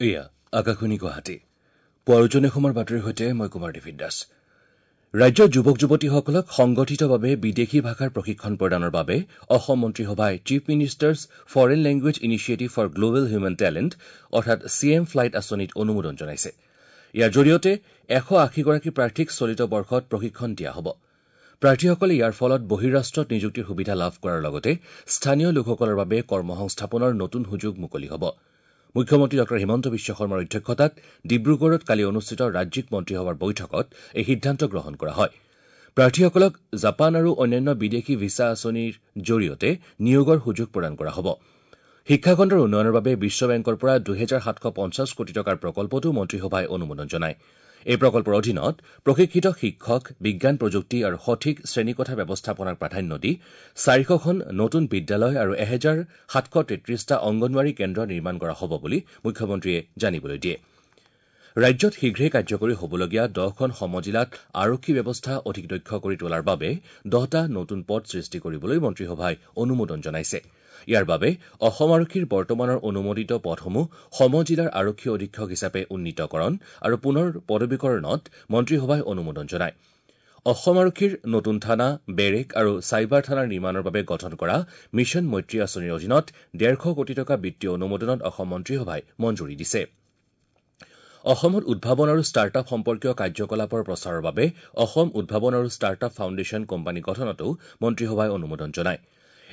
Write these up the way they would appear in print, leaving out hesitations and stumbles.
এয়া আকাশবাণী গুৱাহাটী। পুৱাৰ উজনি অসমৰ বাতৰিৰ সৈতে মই কুমাৰ ডেভিড দাস। ৰাজ্যৰ যুৱক যুৱতীসকলক সংগঠিতভাৱে বিদেশী ভাষাৰ প্ৰশিক্ষণ প্ৰদানৰ বাবে অসম মন্ত্ৰীসভাই Chief Minister's Foreign Language Initiative for Global Human Talent অৰ্থাৎ চি এম ফ্লাইট আঁচনিত অনুমোদন জনাইছে। ইয়াৰ জৰিয়তে 180গৰাকী প্ৰাৰ্থীক চলিত বৰ্ষত প্ৰশিক্ষণ দিয়া হ'ব। প্ৰাৰ্থীসকলে ইয়াৰ ফলত বহিঃৰাষ্ট্ৰত নিযুক্তিৰ সুবিধা লাভ কৰাৰ লগতে স্থানীয় লোকসকলৰ বাবে কৰ্মসংস্থাপনৰ নতুন সুযোগ মুকলি হ'ব। মুখ্যমন্ত্ৰী ডঃ হিমন্ত বিশ্ব শৰ্মাৰ অধ্যক্ষতাত ডিব্ৰুগড়ত কালি অনুষ্ঠিত ৰাজ্যিক মন্ত্ৰীসভাৰ বৈঠকত এই সিদ্ধান্ত গ্ৰহণ কৰা হয়। প্ৰাৰ্থীসকলক জাপান আৰু অন্যান্য বিদেশী ভিছা আঁচনিৰ জৰিয়তে নিয়োগৰ সুযোগ প্ৰদান কৰা হ'ব। শিক্ষাখণ্ডৰ উন্নয়নৰ বাবে বিশ্ব বেংকৰ পৰা 2750 কোটি টকাৰ প্ৰকল্পতো মন্ত্ৰীসভাই অনুমোদন জনায়। এই প্ৰকল্পৰ অধীনত প্ৰশিক্ষিত শিক্ষক, বিজ্ঞান প্ৰযুক্তি আৰু সঠিক শ্ৰেণীকোঠা ব্যৱস্থাপনাক প্ৰাধান্য দি 400খন নতুন বিদ্যালয় আৰু 1733টা অংগনৱাড়ী কেন্দ্ৰ নিৰ্মাণ কৰা হ'ব বুলি মুখ্যমন্ত্ৰীয়ে জানিবলৈ দিয়ে। ৰাজ্যত শীঘ্ৰেই কাৰ্যকৰী হ'বলগীয়া 10খন সমজিলাত আৰক্ষী ব্যৱস্থা অধিক দক্ষ কৰি তোলাৰ বাবে 10টা নতুন পদ সৃষ্টি কৰিবলৈ মন্ত্ৰীসভাই অনুমোদন জনাইছে। ইয়াৰ বাবে অসম আৰক্ষীৰ বৰ্তমানৰ অনুমোদিত পদসমূহ সমজিলাৰ আৰক্ষী অধীক্ষক হিচাপে উন্নীতকৰণ আৰু পুনৰ পদবীকৰণত মন্ত্ৰীসভাই অনুমোদন জনায়। অসম আৰক্ষীৰ নতুন থানা, বেৰেক আৰু চাইবাৰ থানাৰ নিৰ্মাণৰ বাবে গঠন কৰা মিছন মৈত্ৰী আঁচনিৰ অধীনত 150 কোটি টকা বিত্তীয় অনুমোদনত অসম মন্ত্ৰীসভাই মঞ্জুৰি দিছে। অসমত উদ্ভাৱন আৰু ষ্টাৰ্টআপ সম্পৰ্কীয় কাৰ্যকলাপৰ প্ৰচাৰৰ বাবে অসম উদ্ভাৱন আৰু ষ্টাৰ্টআপ ফাউণ্ডেশ্যন কোম্পানী গঠনতো মন্ত্ৰীসভাই অনুমোদন জনায়।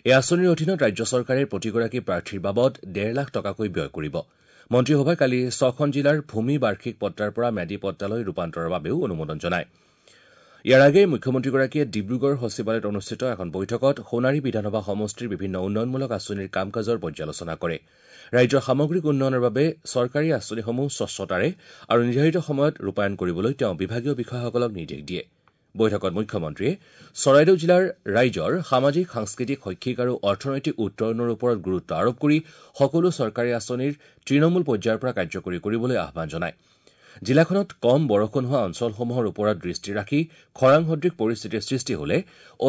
এই আঁচনিৰ অধীনত ৰাজ্য চৰকাৰে প্ৰতিগৰাকী প্ৰাৰ্থীৰ বাবদ 1.5 লাখ টকাকৈ ব্যয় কৰিব। মন্ত্ৰীসভাই কালি 6খন জিলাৰ ভূমি বাৰ্ষিক পট্টাৰ পৰা ম্যাদী পট্টালৈ ৰূপান্তৰৰ বাবেও অনুমোদন জনায়। ইয়াৰ আগেয়ে মুখ্যমন্ত্ৰীগৰাকীয়ে ডিব্ৰুগড় সচিবালয়ত অনুষ্ঠিত এখন বৈঠকত সোণাৰী বিধানসভা সমষ্টিৰ বিভিন্ন উন্নয়নমূলক আঁচনিৰ কাম কাজৰ পৰ্যালোচনা কৰে। ৰাজ্যৰ সামগ্ৰিক উন্নয়নৰ বাবে চৰকাৰী আঁচনিসমূহ স্বচ্ছতাৰে আৰু নিৰ্ধাৰিত সময়ত ৰূপায়ণ কৰিবলৈ তেওঁ বিভাগীয় বিষয়াসকলক নিৰ্দেশ দিয়ে। বৈঠকত মুখ্যমন্ত্ৰীয়ে চৰাইদেউ জিলাৰ ৰাইজৰ সামাজিক, সাংস্কৃতিক, শৈক্ষিক আৰু অৰ্থনৈতিক উত্তৰণৰ ওপৰত গুৰুত্ব আৰোপ কৰি সকলো চৰকাৰী আঁচনিৰ তৃণমূল পৰ্যায়ৰ পৰা কাৰ্যকৰী কৰিবলৈ আহ্বান জনায়। জিলাখনত কম বৰষুণ হোৱা অঞ্চলসমূহৰ ওপৰত দৃষ্টি ৰাখি খৰাং সদৃশ পৰিস্থিতিৰ সৃষ্টি হলে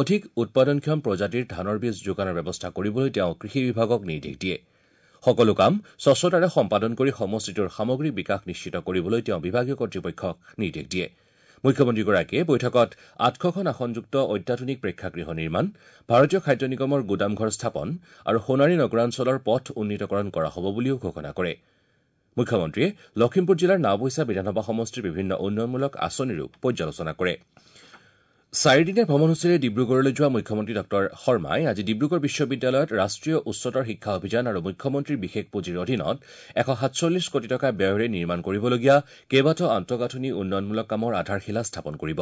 অধিক উৎপাদনক্ষম প্ৰজাতিৰ ধানৰ বীজ যোগানৰ ব্যৱস্থা কৰিবলৈ তেওঁ কৃষি বিভাগক নিৰ্দেশ দিয়ে। সকলো কাম স্বচ্ছতাৰে সম্পাদন কৰি সমষ্টিটোৰ সামগ্ৰিক বিকাশ নিশ্চিত কৰিবলৈ তেওঁ বিভাগীয় কৰ্তৃপক্ষক নিৰ্দেশ দিয়ে। মুখ্যমন্ত্ৰীগৰাকীয়ে বৈঠকত 800খন আসনযুক্ত অত্যাধুনিক প্ৰেক্ষাগৃহ নিৰ্মাণ, ভাৰতীয় খাদ্য নিগমৰ গুদামঘৰ স্থাপন আৰু সোণাৰী নগৰাঞ্চলৰ পথ উন্নীতকৰণ কৰা হ'ব বুলিও ঘোষণা কৰে। মুখ্যমন্ত্ৰীয়ে লখিমপুৰ জিলাৰ নাওবৈচা বিধানসভা সমষ্টিৰ বিভিন্ন উন্নয়নমূলক আঁচনিৰো পৰ্যালোচনা কৰে। চাৰিদিনীয়া ভ্ৰমণসূচীৰে ডিব্ৰুগড়লৈ যোৱা মুখ্যমন্ত্ৰী ডঃ শৰ্মাই আজি ডিব্ৰুগড় বিশ্ববিদ্যালয়ত ৰাষ্ট্ৰীয় উচ্চতৰ শিক্ষা অভিযান আৰু মুখ্যমন্ত্ৰীৰ বিশেষ পুঁজিৰ অধীনত 147 কোটি টকা ব্যয়েৰে নিৰ্মাণ কৰিবলগীয়া কেইবাটাও আন্তঃগাঁথনি উন্নয়নমূলক কামৰ আধাৰশিলা স্থাপন কৰিব।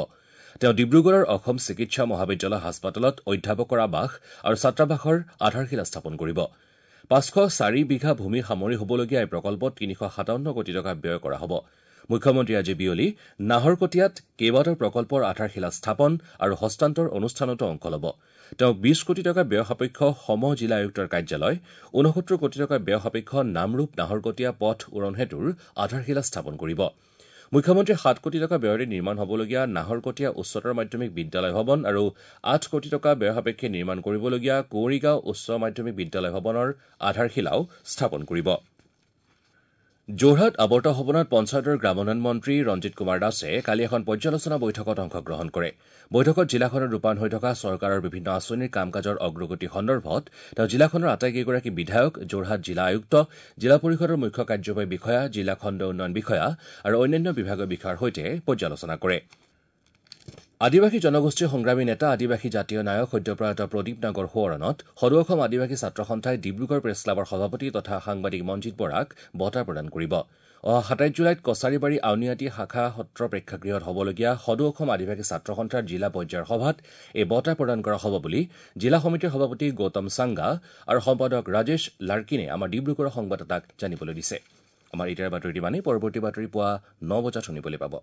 তেওঁ ডিব্ৰুগড়ৰ অসম চিকিৎসা মহাবিদ্যালয় হাস্পতালত অধ্যাপকৰ আৱাস আৰু ছাত্ৰাবাসৰ আধাৰশিলা স্থাপন কৰিব। 504 বিঘা ভূমি সামৰি হ'বলগীয়া এই প্ৰকল্পত 357 কোটি টকা ব্যয় কৰা হ'ব। মুখ্যমন্ত্ৰীয়ে আজি বিয়লি নাহৰকটীয়াত কেইবাটাও প্ৰকল্পৰ আধাৰশিলা স্থাপন আৰু হস্তান্তৰ অনুষ্ঠানতো অংশ ল'ব। তেওঁ 20 কোটি টকা ব্যয় সাপেক্ষ সম জিলা আয়ুক্তৰ কাৰ্যালয়, 69 কোটি টকা ব্যয় সাপেক্ষ নামৰূপ নাহৰকটীয়া পথ উৰণ সেতুৰ আধাৰশিলা স্থাপন কৰিব। মুখ্যমন্ত্ৰীয়ে 7 কোটি টকা ব্যয়েৰে নিৰ্মাণ হ'বলগীয়া নাহৰকটীয়া উচ্চতৰ মাধ্যমিক বিদ্যালয় ভৱন আৰু 8 কোটি টকা ব্যয় সাপেক্ষে নিৰ্মাণ কৰিবলগীয়া কুঁৱৰীগাঁও উচ্চ মাধ্যমিক বিদ্যালয় ভৱনৰ আধাৰশিলাও স্থাপন কৰিব। যোৰহাট আৱৰ্ত ভৱনত পঞ্চায়তৰ গ্ৰামোন্নয়ন মন্ত্ৰী ৰঞ্জিত কুমাৰ দাসে কালি এখন পৰ্যালোচনা বৈঠকত অংশগ্ৰহণ কৰে। বৈঠকত জিলাখনত ৰূপায়ণ হৈ থকা চৰকাৰৰ বিভিন্ন আঁচনিৰ কাম কাজৰ অগ্ৰগতি সন্দৰ্ভত তেওঁ জিলাখনৰ আটাইকেইগৰাকী বিধায়ক, যোৰহাট জিলা আয়ুক্ত, জিলা পৰিষদৰ মুখ্য কাৰ্যবাহী বিষয়া, জিলা খণ্ড উন্নয়ন বিষয়া আৰু অন্যান্য বিভাগীয় বিষয়াৰ সৈতে পৰ্যালোচনা কৰে। আদিবাসী জনগোষ্ঠীৰ সংগ্ৰামী নেতা, আদিবাসী জাতীয় নায়ক সদ্যপ্ৰয়াত প্ৰদীপ নাগৰ সোঁৱৰণত সদৌ অসম আদিবাসী ছাত্ৰ সন্থাই ডিব্ৰুগড় প্ৰেছ ক্লাবৰ সভাপতি তথা সাংবাদিক মঞ্জিত বৰাক বঁটা প্ৰদান কৰিব। অহা 27 জুলাইত কছাৰীবাৰী আউনীআটী শাখা সত্ৰ প্ৰেক্ষাগৃহত হ'বলগীয়া সদৌ অসম আদিবাসী ছাত্ৰ সন্থাৰ জিলা পৰ্যায়ৰ সভাত এই বঁটা প্ৰদান কৰা হ'ব বুলি জিলা সমিতিৰ সভাপতি গৌতম চাংগা আৰু সম্পাদক ৰাজেশ লাৰ্কিনে আমাৰ ডিব্ৰুগড়ৰ সংবাদদাতাক জানিবলৈ দিছে। আমাৰ এতিয়াৰ বাতৰি ইমানেই। পৰৱৰ্তী বাতৰি পুৱা 9 বজাত শুনিবলৈ পাব।